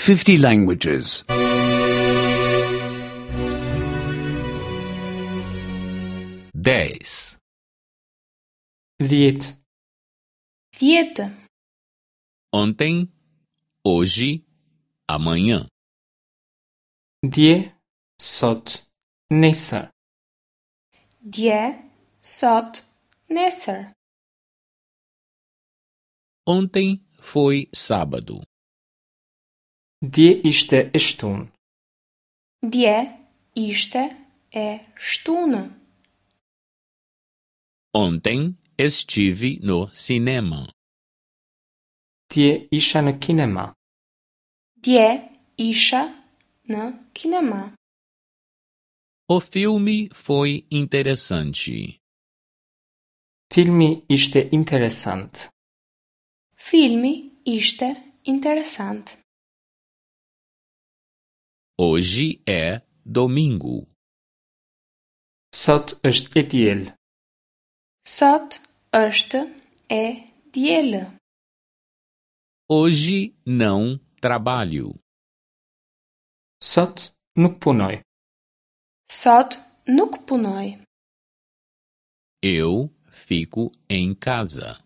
50 languages. 10, 10, 10. Ontem, hoje, amanhã. Dje, sot, nesër. Dje, sot, nesër. Ontem foi sábado. Dje ishte e shtunë. Dje ishte e shtunë. Ontem estive no cinema. Dje isha në kinema. Dje isha në kinema. O filme foi interessante. Filmi ishte interesant. Filmi ishte interesant. Hoje é domingo. Sot është e diel. Sot është e dielë. Hoje não trabalho. Sot nuk punoj. Sot nuk punoj. Eu fico em casa.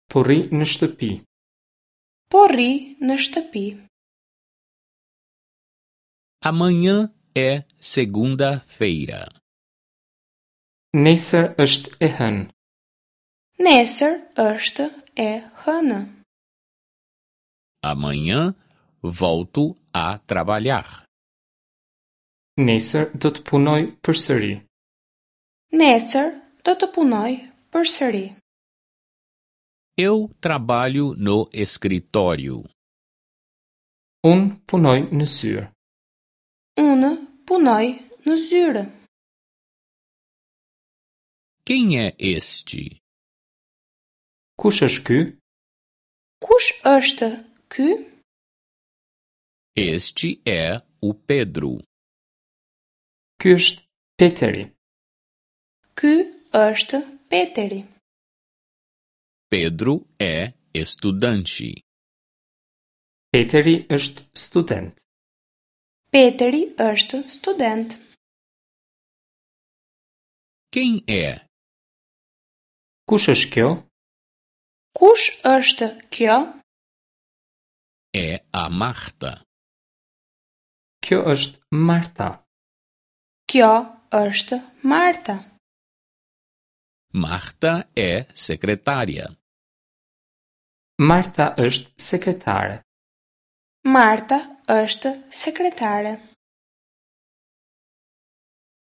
Po rri në shtëpi. Po rri në shtëpi. Amanhã é segunda-feira. Nesër është e hënë. Nesër është e hënë. Amanhã volto a trabalhar. Nesër do të punoj përsëri. Nesër do të punoj përsëri. Eu trabalho no escritório. Unë punoj në zyrë. Unë punoj në zyrë. Quem é este? Kush është ky? Kush është ky? Este é o Pedro. Ky është Peteri. Ky është Peteri. Pedro é estudante. Peteri është student. Peteri është student. Quem é? Kush është kjo? Kush është kjo? É a Marta. Kjo është Marta. Kjo është Marta. Marta é secretária. Marta është sekretare. Marta është sekretare.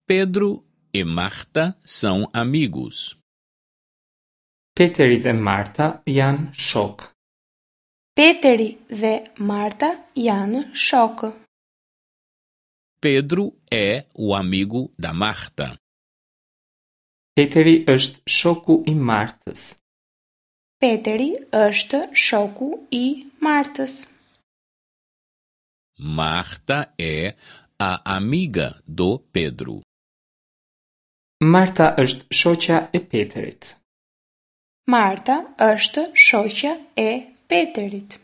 Pedro e Marta são amigos. Peteri dhe Marta janë shokë. Peteri dhe Marta janë shokë. Pedro é o amigo da Marta. Peteri është shoku i Martës. Peteri është shoku i Martës. Marta é a amiga do Pedro. Marta është shoqja e Peterit. Marta është shoqja e Peterit.